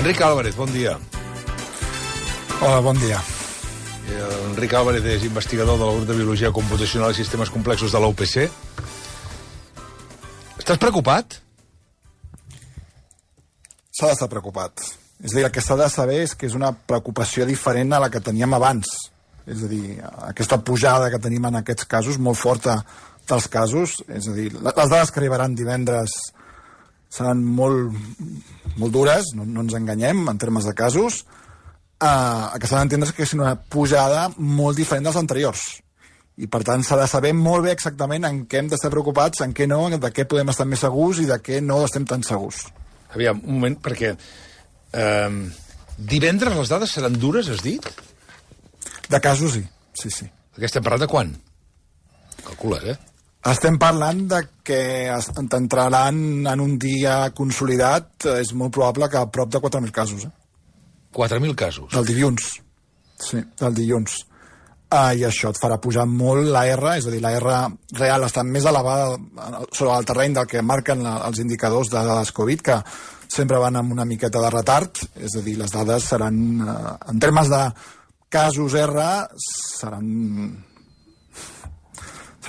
Enric Álvarez, bon dia. Hola, bon dia. Enric Álvarez és investigador de la grup de Biologia Computacional i Sistemes Complexos de la UPC. Estàs preocupat? S'ha d'estar preocupat. És a dir, el que s'ha de saber és que és una preocupació diferent a la que teníem abans. És a dir, aquesta pujada que tenim en aquests casos, molt forta dels casos, és a dir, les dades que arribaran divendres seran molt dures, no ens enganyem, en termes de casos. El que s'ha d'entendre és que és una pujada molt diferent dels anteriors. I, per tant, s'ha de saber molt bé exactament en què hem d'estar preocupats, en què no, de què podem estar més segurs i de què no estem tan segurs. Aviam, un moment, perquè divendres les dades seran dures, has dit? De casos, sí. Sí. Perquè estem parlant de quan? Calcula, Estem parlant de que entraran en un dia consolidat, és molt probable que a prop de 4.000 casos. 4.000 casos? Del dilluns. Sí, del dilluns. I això et farà pujar molt la R, és a dir, la R real està més elevada sobre el terreny del que marquen els indicadors de dades Covid, que sempre van amb una miqueta de retard, és a dir, les dades seran, en termes de casos R, seran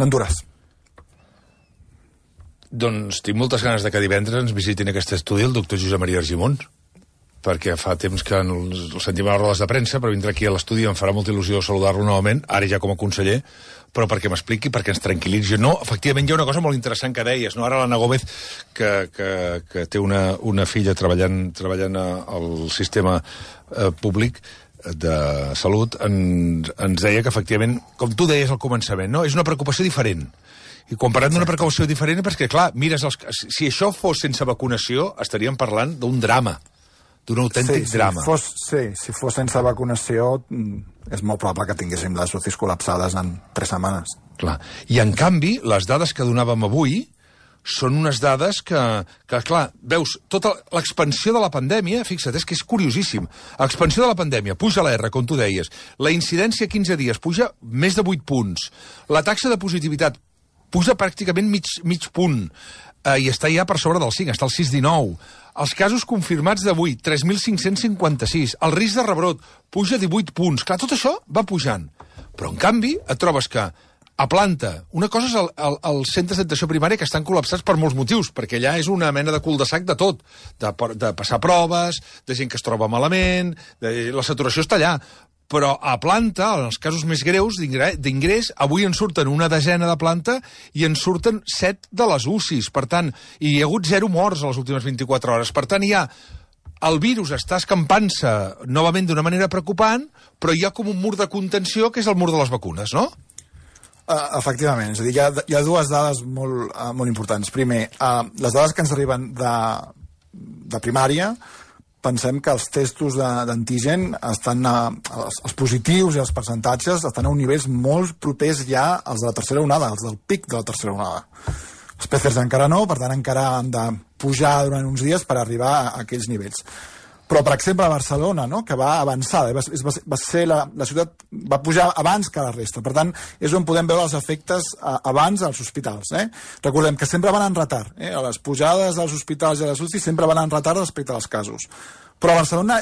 dures. Doncs tinc moltes ganes de que divendres ens visitin aquest estudi el doctor Josep Maria Argimon, perquè fa temps que el sentim a les rodes de premsa, però vindrà aquí a l'estudi i em farà molta il·lusió saludar-lo novament, ara ja com a conseller, però perquè m'expliqui, perquè ens tranquil·litzi. No, efectivament, hi ha una cosa molt interessant que deies, no? Ara l'Anna Gómez, que té una filla treballant al sistema públic de salut, ens deia que, efectivament, com tu deies al començament, no? És una preocupació diferent. I quan parlem d'una precaució diferent, perquè, clar, mires, si això fos sense vacunació, estaríem parlant d'un drama, d'un autèntic drama. Si fos sense vacunació, és molt probable que tinguéssim les UCIs col·lapsades en 3 setmanes. Clar. I, en canvi, les dades que donàvem avui són unes dades que clar, veus, tota l'expansió de la pandèmia, fixa't, és que és curiosíssim. L'expansió de la pandèmia, puja la R, com tu deies, la incidència a 15 dies puja més de 8 punts, la taxa de positivitat puja pràcticament mig punt, i està ja per sobre del 5, està al 6,19. Els casos confirmats d'avui, 3.556. El risc de rebrot puja 18 punts. Clar, tot això va pujant. Però, en canvi, et trobes que a planta, una cosa és els centres d'atenció primària que estan col·lapsats per molts motius, perquè allà és una mena de cul de sac de tot, de passar proves, de gent que es troba malament, la saturació està allà. Però a planta, en els casos més greus d'ingrés, avui en surten una desena de planta i en surten 7 de les UCIs. Per tant, hi ha hagut 0 morts a les últimes 24 hores. Per tant, el virus està escampant-se novament d'una manera preocupant, però hi ha com un mur de contenció, que és el mur de les vacunes, no? Efectivament. És a dir, hi ha dues dades molt importants. Primer, les dades que ens arriben de primària, pensem que els testos d'antigen estan, els positius i els percentatges estan a uns nivells molt propers ja als de la tercera onada, als del pic de la tercera onada. Els PCRs encara no, per tant encara han de pujar durant uns dies per arribar a aquells nivells. Però, per exemple, a Barcelona, no?, que va avançada, va ser la ciutat, va pujar abans que la resta. Per tant, és on podem veure els efectes abans als hospitals. Recordem que sempre van en retard. Les pujades als hospitals i a les UCI sempre van en retard respecte als casos. Però a Barcelona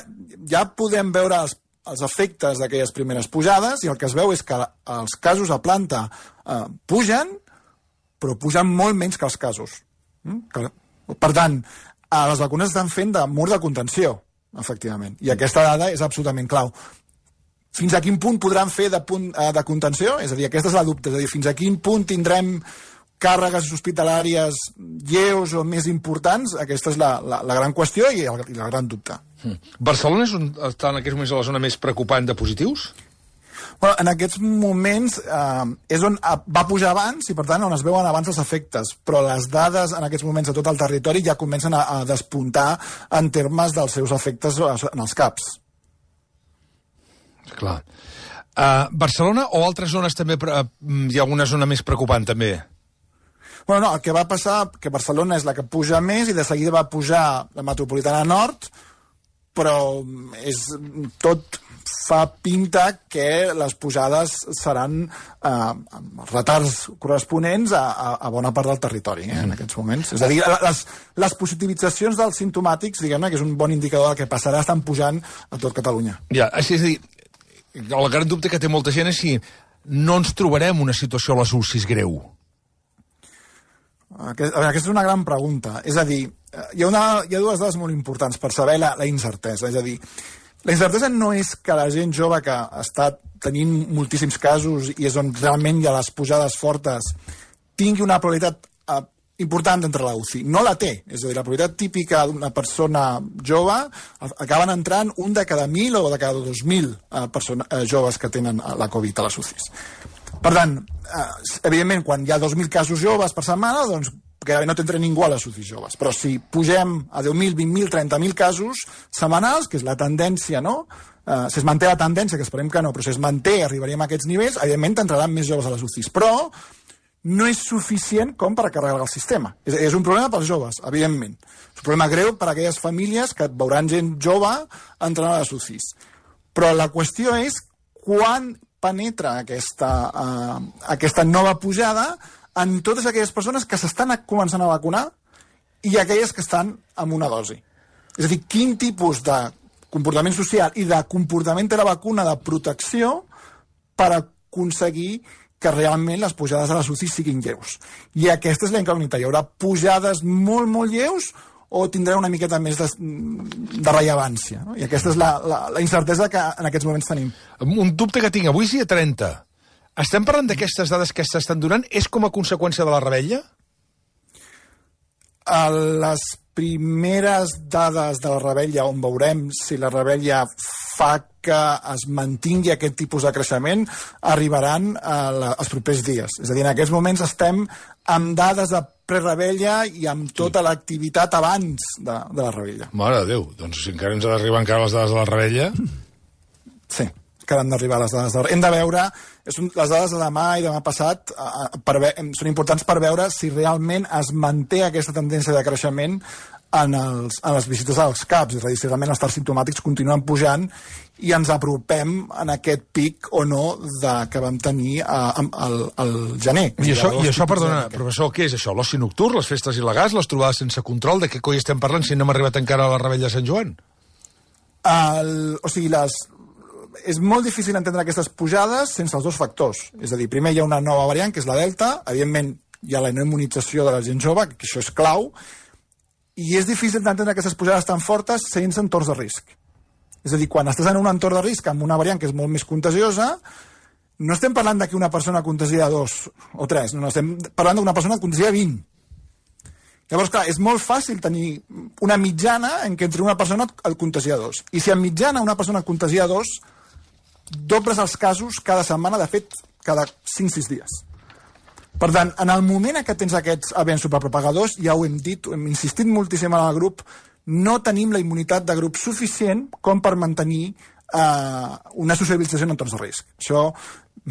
ja podem veure els efectes d'aquelles primeres pujades i el que es veu és que els casos a planta pugen, però pugen molt menys que els casos. Per tant, les vacunes estan fent de mur de contenció, efectivament. I aquesta dada és absolutament clau. Fins a quin punt podran fer de contenció? És a dir, aquesta és la dubte. És a dir, fins a quin punt tindrem càrregues hospitalàries lleus o més importants? Aquesta és la gran qüestió i la gran dubte. Barcelona està en aquests moments a la zona més preocupant de positius? Bueno, en aquests moments és on va pujar abans i, per tant, on es veuen abans els efectes. Però les dades en aquests moments a tot el territori ja comencen a despuntar en termes dels seus efectes en els CAPs. Clar. Barcelona o altres zones també hi ha alguna zona més preocupant, també? Bueno, no, el que va passar, que Barcelona és la que puja més i de seguida va pujar la metropolitana nord, però tot fa pinta que les pujades seran retards corresponents a bona part del territori en aquests moments. És a dir, les positivitzacions dels simptomàtics, diguem-ne, que és un bon indicador del que passarà, estan pujant a tot Catalunya. Ja, és a dir, el gran dubte que té molta gent és si no ens trobarem una situació a les UCIs greu. Aquesta és una gran pregunta. És a dir, hi ha dues dades molt importants per saber la incertesa. És a dir, la incertesa no és que la gent jove que està tenint moltíssims casos i és on realment hi ha les pujades fortes tingui una probabilitat important d'entrar a la UCI. No la té. És a dir, la probabilitat típica d'una persona jove acaben entrant un de cada 1.000 o de cada 2.000 joves que tenen la Covid a les UCIs. Per tant, evidentment, quan hi ha 2.000 casos joves per setmana, doncs gairebé no t'entra ningú a les UCIs joves. Però si pugem a 10.000, 20.000, 30.000 casos setmanals, que és la tendència, no? Si es manté la tendència, que esperem que no, però si es manté, arribaríem a aquests nivells, evidentment t'entraran més joves a les UCIs. Però no és suficient com per carregar el sistema. És un problema pels joves, evidentment. És un problema greu per a aquelles famílies que veuran gent jove entrant a les UCIs. Però la qüestió és quan penetra aquesta nova pujada en totes aquelles persones que s'estan començant a vacunar i aquelles que estan amb una dosi. És a dir, quin tipus de comportament social i de comportament de la vacuna de protecció per aconseguir que realment les pujades a les UCI siguin lleus. I aquesta és la incògnita. Hi haurà pujades molt, molt lleus o tindrà una miqueta més de rellevància. No? I aquesta és la incertesa que en aquests moments tenim. Un dubte que tinc. Avui és dia 30. Estem parlant d'aquestes dades que s'estan donant? És com a conseqüència de la rebella? Les primeres dades de la rebella, on veurem si la rebella fa que es mantingui aquest tipus de creixement, arribaran els propers dies. És a dir, en aquests moments estem amb dades de prerebella i amb tota l'activitat abans de la rebella. Mare de Déu, doncs si encara ens ha d'arribar encara les dades de la rebella... Sí, que han d'arribar les dades de la rebella. Hem de veure, les dades de demà i demà passat són importants per veure si realment es manté aquesta tendència de creixement en les visites als CAPs, és a dir, si realment els estats simptomàtics continuen pujant i ens apropem en aquest pic o no que vam tenir al gener. I això, perdona, professor, què és això? L'oci nocturn, les festes il·legals, les trobades sense control? De què coi estem parlant si no hem arribat encara a la rebella de Sant Joan? O sigui, és molt difícil entendre aquestes pujades sense els dos factors. És a dir, primer hi ha una nova variant, que és la Delta, evidentment hi ha la no immunització de la gent jove, que això és clau, i és difícil d'entendre aquestes pujades tan fortes sense entorns de risc. És a dir, quan estàs en un entorn de risc amb una variant que és molt més contagiosa, no estem parlant que una persona contagia 2 o 3, no, estem parlant d'una persona que contagia 20. Llavors, clar, és molt fàcil tenir una mitjana en què entre una persona el contagia 2. I si en mitjana una persona contagia 2, dobles els casos cada setmana, de fet, cada 5-6 dies. Per tant, en el moment en què tens aquests events superpropagadors, ja ho hem dit, ho hem insistit moltíssim en el grup, no tenim la immunitat de grup suficient com per mantenir una socialització en entorns de risc. Això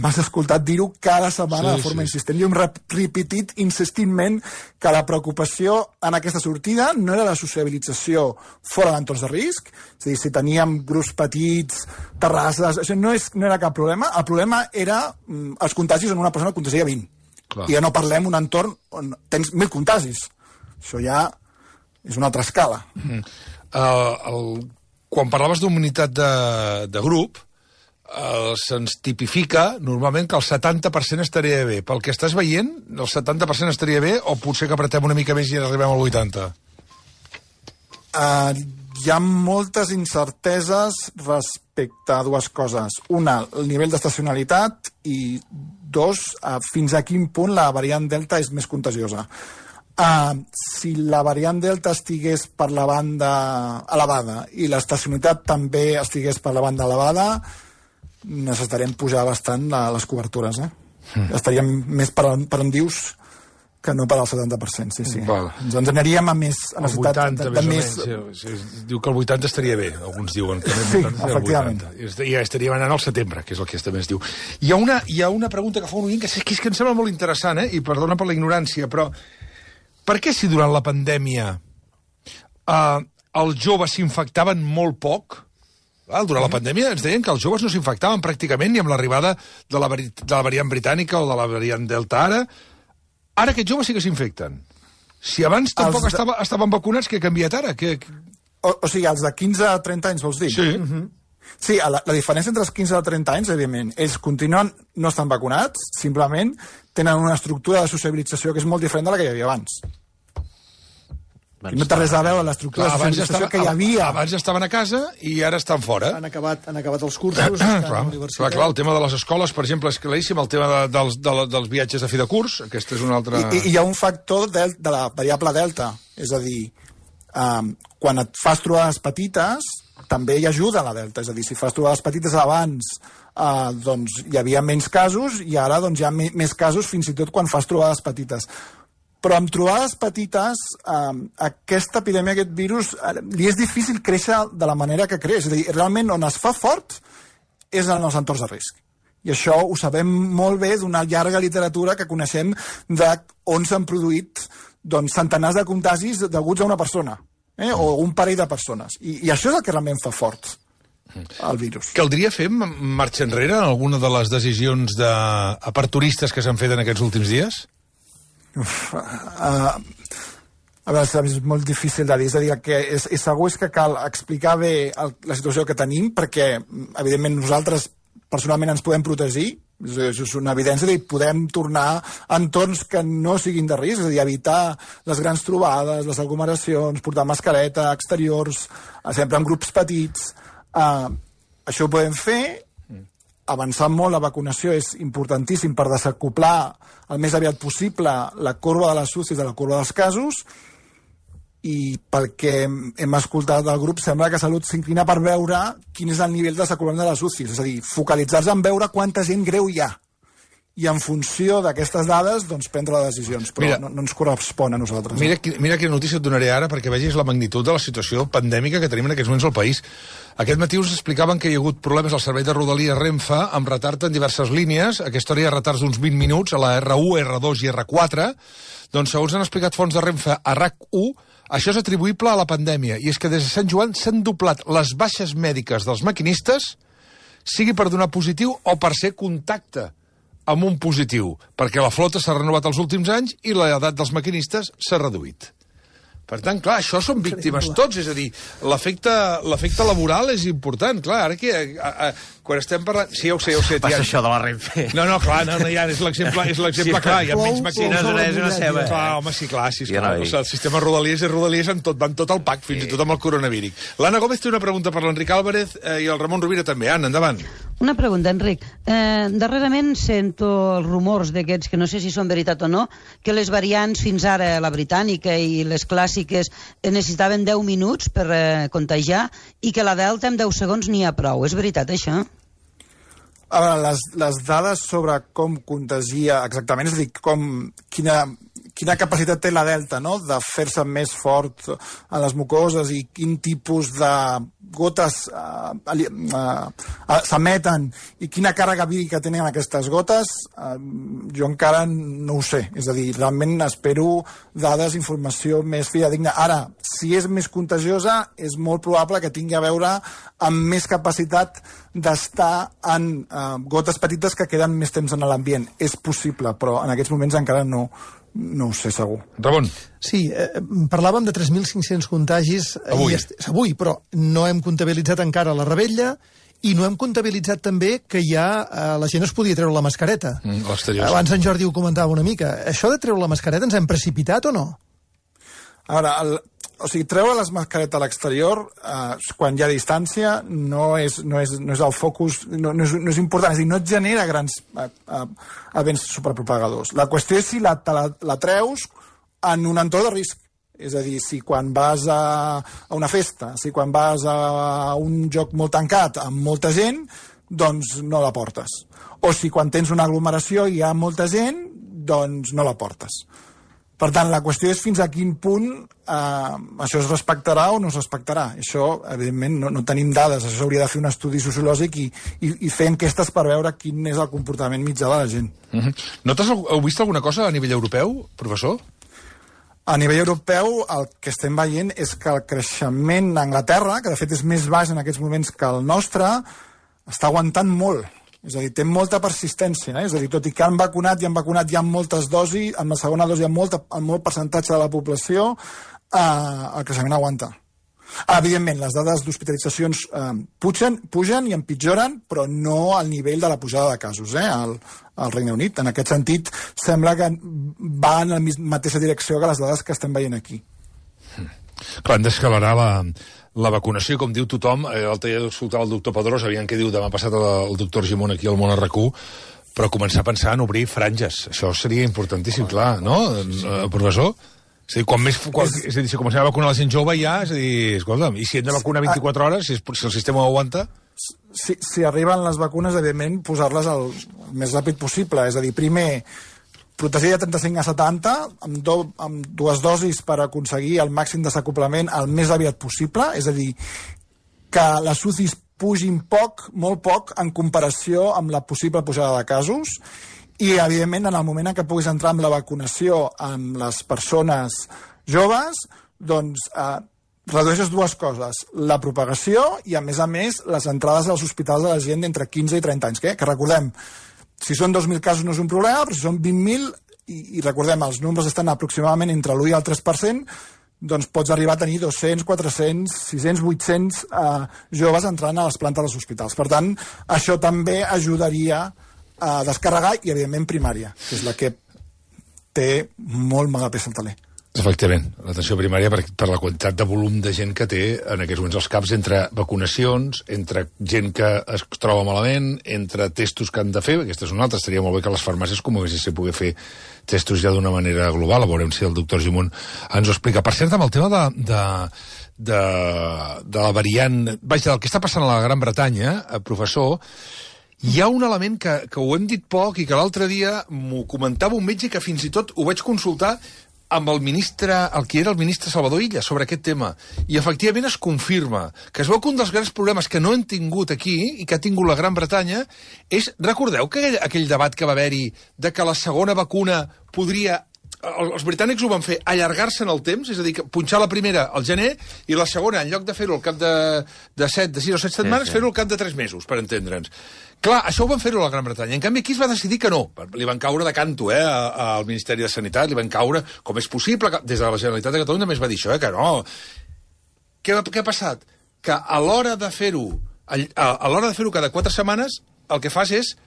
m'has escoltat dir-ho cada setmana de forma insistent. Jo hem repetit insistentment que la preocupació en aquesta sortida no era la sociabilització fora d'entorns de risc, és a dir, si teníem grups petits, terrasses, això no era cap problema. El problema era els contagis en una persona que contagia 20. Clar. I ja no parlem d'un entorn on tens 1.000 contagis. Això ja és una altra escala. Quan parlaves d'immunitat de grup, se'ns tipifica normalment que el 70% estaria bé. Pel que estàs veient, el 70% estaria bé o potser que apretem una mica més i arribem al 80%? Hi ha moltes incerteses respecte a dues coses. Una, el nivell d'estacionalitat i 2, fins a quin punt la variant Delta és més contagiosa. Si la variant Delta estigués per la banda elevada i l'estacionalitat també estigués per la banda elevada, necessitarem pujar bastant les cobertures. Estaríem més per on dius que no per al 70%, sí. Ens aniríem a més... El 80, més o menys. Diu que el 80 estaria bé, alguns diuen. Que sí, efectivament. I ja estaríem anant al setembre, que és el que també es diu. Hi ha una pregunta que fa un oient que és que em sembla molt interessant, i perdona per la ignorància, però per què si durant la pandèmia els joves s'infectaven molt poc. Durant la pandèmia ens deien que els joves no s'infectaven pràcticament ni amb l'arribada de la variant britànica o de la variant Delta ara. Ara aquests joves sí que s'infecten. Si abans tampoc estaven vacunats, què ha canviat ara? O sigui, els de 15 a 30 anys, vols dir? Sí. Sí, la diferència entre els 15 i els 30 anys, evidentment, ells continuen, no estan vacunats, simplement tenen una estructura de sociabilització que és molt diferent de la que hi havia abans. No té res a veure l'estructura de socialització que hi havia. Abans estaven a casa i ara estan fora. Han acabat els cursos, estan a la universitat. Clar, el tema de les escoles, per exemple, és claríssim, el tema dels viatges de fi de curs, aquesta és una altra... I hi ha un factor de la variable delta, és a dir, quan et fas trobades petites, també hi ajuda la delta, és a dir, si fas trobades petites abans, doncs hi havia menys casos i ara doncs, hi ha més casos fins i tot quan fas trobades petites. Però amb trobades petites, aquesta epidèmia, aquest virus, li és difícil créixer de la manera que creix. És a dir, realment on es fa fort és en els entorns de risc. I això ho sabem molt bé d'una llarga literatura que coneixem on s'han produït doncs, centenars de contagis deguts a una persona, o un parell de persones. I això és el que realment fa fort el virus. Caldria fer marxa enrere en alguna de les decisions aperturistes que s'han fet en aquests últims dies? A veure, és molt difícil de dir, és a dir, que és segur és que cal explicar bé la situació que tenim, perquè evidentment nosaltres personalment ens podem protegir, és una evidència, és a dir, podem tornar a entorns que no siguin de risc, és a dir, evitar les grans trobades, les aglomeracions, portar mascareta, exteriors, sempre en grups petits, això ho podem fer. Avançar molt la vacunació és importantíssim per desacoplar el més aviat possible la corba de les UCIs de la corba dels casos, i pel que hem escoltat del grup sembla que Salut s'inclina per veure quin és el nivell de desacoplament de les UCIs, és a dir, focalitzar-se en veure quanta gent greu hi ha i en funció d'aquestes dades doncs, prendre decisions, però no ens correspon a nosaltres. Mira quina notícia et donaré ara perquè vegis la magnitud de la situació pandèmica que tenim en aquests moments al país. Aquest matí us explicaven que hi ha hagut problemes al servei de Rodalies Renfe amb retard en diverses línies. Aquesta hora hi ha retards d'uns 20 minuts a la R1, R2 i R4. Doncs segons han explicat fonts de Renfe a RAC1, això és atribuïble a la pandèmia, i és que des de Sant Joan s'han doblat les baixes mèdiques dels maquinistes, sigui per donar positiu o per ser contacte amb un positiu, perquè la flota s'ha renovat els últims anys i l'edat dels maquinistes s'ha reduït. Per tant, clar, això són víctimes tots, és a dir, l'efecte laboral és important, clar, ara que quan estem parlant... Sí, ja ho sé. Passa això de la Renfe. No, clar, ja és l'exemple clar, hi ha menys maquines. És una ceba. Clar, home, sí, clar, el sistema Rodalies és Rodalies van tot al pack, fins i tot amb el coronavíric. L'Anna Gómez té una pregunta per l'Enric Álvarez i el Ramon Rovira també. Anna, endavant. Una pregunta, Enric. Darrerament sento els rumors d'aquests, que no sé si són veritat o no, que les variants fins ara, la britànica i les clàssiques, necessitaven 10 minuts per contagiar i que la Delta en 10 segons n'hi ha prou. És veritat, això? A veure, les dades sobre com contagia exactament, és a dir, quina capacitat té la Delta, no?, de fer-se més fort a les mucoses i quin tipus de gotes s'emeten i quina càrrega vírica tenen aquestes gotes, jo encara no ho sé. És a dir, realment espero dades, informació més fidedigna. Ara, si és més contagiosa, és molt probable que tingui a veure amb més capacitat d'estar en gotes petites que queden més temps en l'ambient. És possible, però en aquests moments encara no ho sé segur. Ramon. Sí, parlàvem de 3.500 contagis avui, però no hem comptabilitzat encara la rebella i no hem comptabilitzat també que ja la gent es podia treure la mascareta. Abans en Jordi ho comentava una mica. Això de treure la mascareta ens hem precipitat o no? A veure, treure les mascaretes a l'exterior quan hi ha distància no és el focus, no és important, és a dir, no et genera grans events superpropagadors. La qüestió és si la treus en un entorn de risc. És a dir, si quan vas a una festa, si quan vas a un lloc molt tancat amb molta gent, doncs no la portes. O si quan tens una aglomeració i hi ha molta gent, doncs no la portes. Per tant, la qüestió és fins a quin punt això es respectarà o no es respectarà. Això, evidentment, no tenim dades. Això s'hauria de fer un estudi sociològic i fer enquestes per veure quin és el comportament mitjà de la gent. Heu vist alguna cosa a nivell europeu, professor? A nivell europeu, el que estem veient és que el creixement d'Anglaterra, que de fet és més baix en aquests moments que el nostre, està aguantant molt. És a dir, té molta persistència. És a dir, tot i que han vacunat ja moltes dosis, en la segona dosi molt percentatge de la població, el creixement aguanta. Evidentment, les dades d'hospitalitzacions pugen i empitjoren, però no al nivell de la pujada de casos al Regne Unit. En aquest sentit, sembla que va en la mateixa direcció que les dades que estem veient aquí. Clar, hem d'escalarar la vacunació, com diu tothom. L'altre dia escoltava el doctor Pedrós, aviam què diu demà passat el doctor Gimón aquí al Món RQ, però començar a pensar en obrir franges. Això seria importantíssim, clar, no, professor? És a dir, si comencem a vacunar la gent jove ja, és a dir, escolta'm, i si hem de vacunar 24 hores, si el sistema ho aguanta? Si arriben les vacunes, evidentment, posar-les el més ràpid possible. És a dir, primer, protegir de 35 a 70, amb 2 dosis per aconseguir el màxim desacoplament el més aviat possible, és a dir, que les UCIs pugin molt poc, en comparació amb la possible pujada de casos, i, evidentment, en el moment en què puguis entrar amb la vacunació amb les persones joves, doncs redueixes 2 coses, la propagació i, a més, les entrades als hospitals de la gent d'entre 15 i 30 anys, que recordem, si són 2.000 casos no és un problema, però si són 20.000, i recordem, els números estan aproximadament entre l'1 i el 3%, doncs pots arribar a tenir 200, 400, 600, 800 joves entrant a les plantes dels hospitals. Per tant, això també ajudaria a descarregar, i evidentment primària, que és la que té molt mala peça al taler. Efectivament, l'atenció primària per la quantitat de volum de gent que té en aquests moments als CAPs, entre vacunacions, entre gent que es troba malament, entre testos que han de fer, aquesta és una altra, estaria molt bé que les farmàcies comencessin a poder fer testos ja d'una manera global, veurem si el doctor Gimón ens ho explica. Per cert, amb el tema de la variant, vaja, del que està passant a la Gran Bretanya, professor, hi ha un element que ho hem dit poc i que l'altre dia m'ho comentava un metge que fins i tot ho vaig consultar amb el que era el ministre Salvador Illa sobre aquest tema. I efectivament es confirma que es veu que un dels grans problemes que no hem tingut aquí i que ha tingut la Gran Bretanya és, recordeu que aquell debat que va haver-hi de que la segona vacuna podria... Els britànics ho van fer allargar-se en el temps, és a dir, punxar la primera al gener i la segona, en lloc de fer-ho al cap de 6 o 7 setmanes, fer-ho al cap de 3 mesos, per entendre'ns. Clar, això ho van fer-ho a la Gran Bretanya. En canvi, aquí es va decidir que no. Li van caure de canto al Ministeri de Sanitat, li van caure com és possible. Des de la Generalitat de Catalunya també es va dir això, que no. Què ha passat? Que a l'hora de fer-ho cada 4 setmanes, el que fas és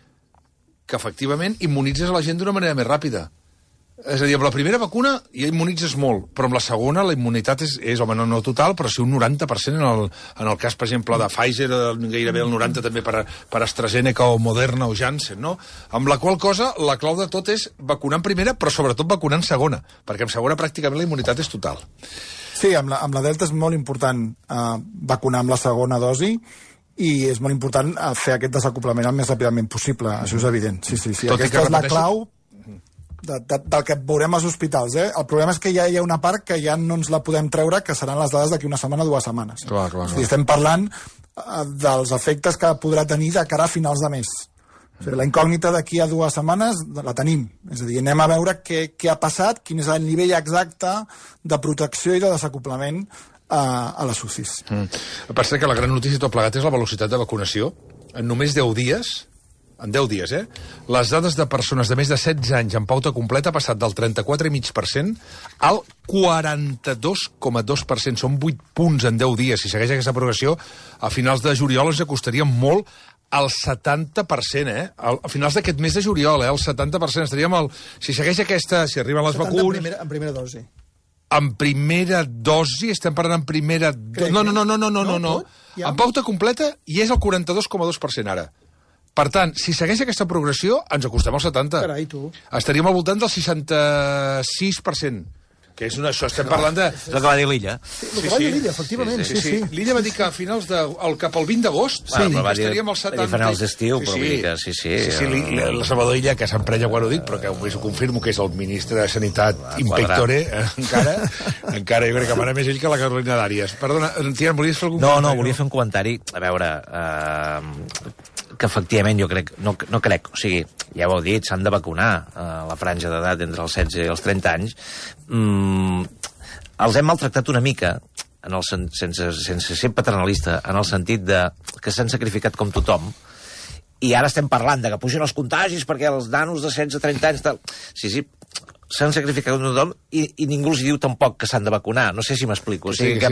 que, efectivament, immunitzes a la gent d'una manera més ràpida. És a dir, amb la primera vacuna ja immunitzes molt, però amb la segona la immunitat és home, no total, però sí un 90% en el cas, per exemple, de Pfizer, gairebé el 90% també per AstraZeneca o Moderna o Janssen, no? Amb la qual cosa, la clau de tot és vacunar en primera, però sobretot vacunar en segona, perquè en segona pràcticament la immunitat és total. Sí, amb la Delta és molt important vacunar amb la segona dosi, i és molt important fer aquest desacoplament el més ràpidament possible, això és evident. Sí. Aquesta és la clau del que veurem als hospitals. El problema és que ja hi ha una part que ja no ens la podem treure, que seran les dades d'aquí una setmana o 2 setmanes. Clar. Estem parlant dels efectes que podrà tenir de cara a finals de mes. La incògnita d'aquí a 2 setmanes la tenim. És a dir, anem a veure què ha passat, quin és el nivell exacte de protecció i de desacoplament a les UCIs. Per cert, que la gran notícia tot plegat és la velocitat de vacunació. En només 10 dies... En 10 dies, les dades de persones de més de 16 anys en pauta completa ha passat del 34,5% al 42,2%. Són 8 punts en 10 dies. Si segueix aquesta progressió, a finals de juliol ens acostaríem molt al 70%, A finals d'aquest mes de juliol, al 70%. Estaríem si segueix aquesta, si arriben les vacunes... En primera dosi. En primera dosi, estem parlant en primera... No. En pauta completa i és el 42,2% ara. Per tant, si segueix aquesta progressió, ens acostem al 70. Carai, tu. Estaríem al voltant del 66%. Que és això, estem parlant de... És el que va dir l'Illa. Sí, el que va dir l'Illa, efectivament, sí. L'Illa va dir que a finals cap al 20 d'agost estaríem al 70. Va dir finals d'estiu, però vull dir que sí. Sí, la Salvador Illa, que s'emprenya quan ho dic, però que ho confirmo que és el ministre de Sanitat impectore, encara jo crec que mana més ell que la Carolina Dàries. Perdona, Tian, volies fer algun comentari? No, volia fer un comentari. A veure, que efectivament jo crec, no crec, o sigui, ja ho heu dit, s'han de vacunar la franja d'edat entre els 16 i els 30 anys. Els hem maltractat una mica, sense ser paternalista, en el sentit de que s'han sacrificat com tothom, i ara estem parlant de que pugen els contagis perquè els nanos de 16 a 30 anys... Tal. Sí, s'han sacrificat tothom i ningú els diu tampoc que s'han de vacunar. No sé si m'explico. O sigui, que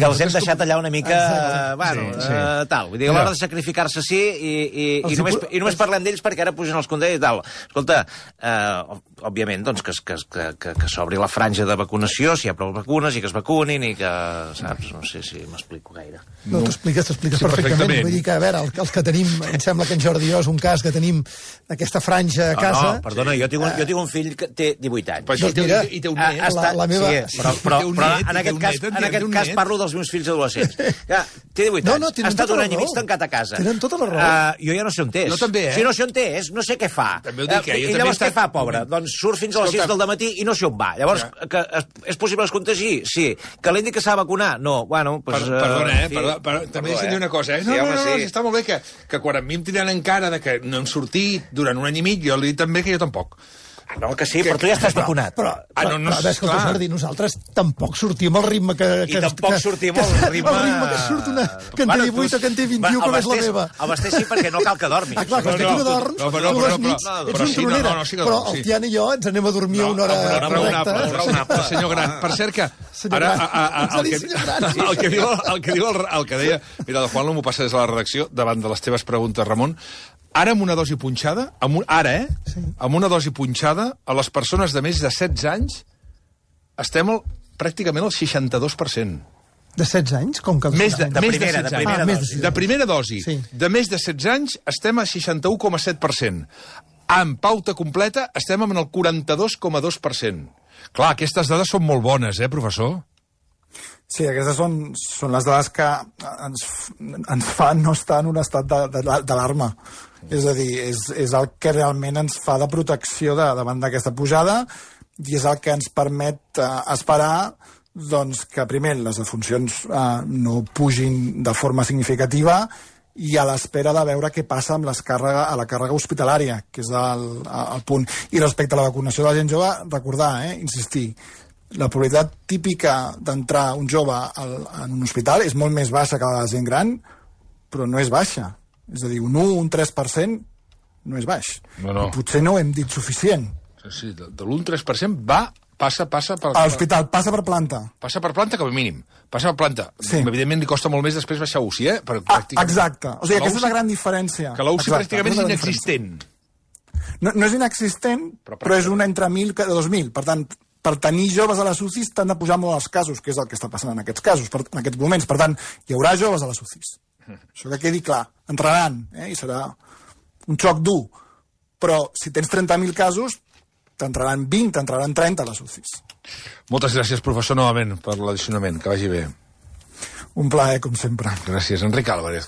els hem deixat allà una mica... tal. Vull dir, a l'hora de sacrificar-se sí i només parlem d'ells perquè ara pugen els contagis i tal. Escolta, òbviament, doncs, que s'obri la franja de vacunació, si hi ha prou vacunes i que es vacunin i que, saps, no sé si m'explico gaire. No, t'expliques perfectament. Vull dir que, a veure, els que tenim, em sembla que en Jordi i jo és un cas que tenim aquesta franja a casa... No, perdona, jo tinc un fill que té 18 anys. Doncs mira, i té un net. La meva... Sí, però en aquest cas parlo dels meus fills adolescents. Té 18 anys, ha estat un any i mig tancat a casa. Tenen tota la raó. Jo ja no sé on és. Jo també, Si no sé on és, no sé què fa. I llavors què fa, pobre? Doncs surt fins a les 6 del dematí i no sé on va. Llavors, és possible que es contagi? Sí. Que l'indi que s'ha de vacunar? No. Bueno, doncs... Perdona, també deixa'm dir una cosa, No, està molt bé que quan a mi em tiren en cara de que no hem sortit durant un any i mig, jo li dic també que jo tampoc. No, que sí, però tu ja estàs vacunat. Però escolta, Jordi, nosaltres tampoc sortim al ritme que... I tampoc sortim al ritme... El ritme que surt una que en té 18 o que en té 21, com és la meva. El Bastés sí, perquè no cal que dormis. Clar, que tu no dorms, tu les nits ets un tronera. Però el Tian i jo ens anem a dormir a una hora correcta. Raonable. Senyor Gran, per cert que... El que deia... Mira, el Juan m'ho passa des de la redacció davant de les teves preguntes, Ramon. Ara amb una dosi punxada, amb una dosi punxada, a les persones de més de 16 anys estem pràcticament al 62%. De 16 anys? Com que de primera dosi. Sí. De més de 16 anys estem a 61,7%. Amb pauta completa estem en el 42,2%. Clar, aquestes dades són molt bones, professor? Sí, aquestes són les dades que ens fan no estar en un estat d'alarma. És a dir, és el que realment ens fa de protecció davant d'aquesta pujada i és el que ens permet esperar doncs, que primer les defuncions no pugin de forma significativa i a l'espera de veure què passa amb la càrrega hospitalària, que és el punt. I respecte a la vacunació de la gent jove, recordar, insistir, la probabilitat típica d'entrar un jove en un hospital és molt més baixa que la de gent gran, però no és baixa. És a dir, un 1, un 3% no és baix. No. Potser no ho hem dit suficient. Sí, de l'1-3% passa per... A l'hospital, passa per planta. Passa per planta com a mínim. Passa per planta. Sí. Evidentment li costa molt més després baixar a UCI, Exacte. O sigui, aquesta és la gran diferència. Que la UCI pràcticament és inexistent. No és inexistent, però és una entre 1.000 que 2.000. Per tant, per tenir joves a les UCIs t'han de pujar molt els casos, que és el que està passant en aquests casos, en aquests moments. Per tant, hi haurà joves a les UCIs. Això que quedi clar. Entraran, i serà un xoc dur. Però si tens 30.000 casos, t'entraran 20, t'entraran 30 a les UCIs. Moltes gràcies, professor, novament, per l'addicionament. Que vagi bé. Un plaer, com sempre. Gràcies. Enric Álvarez.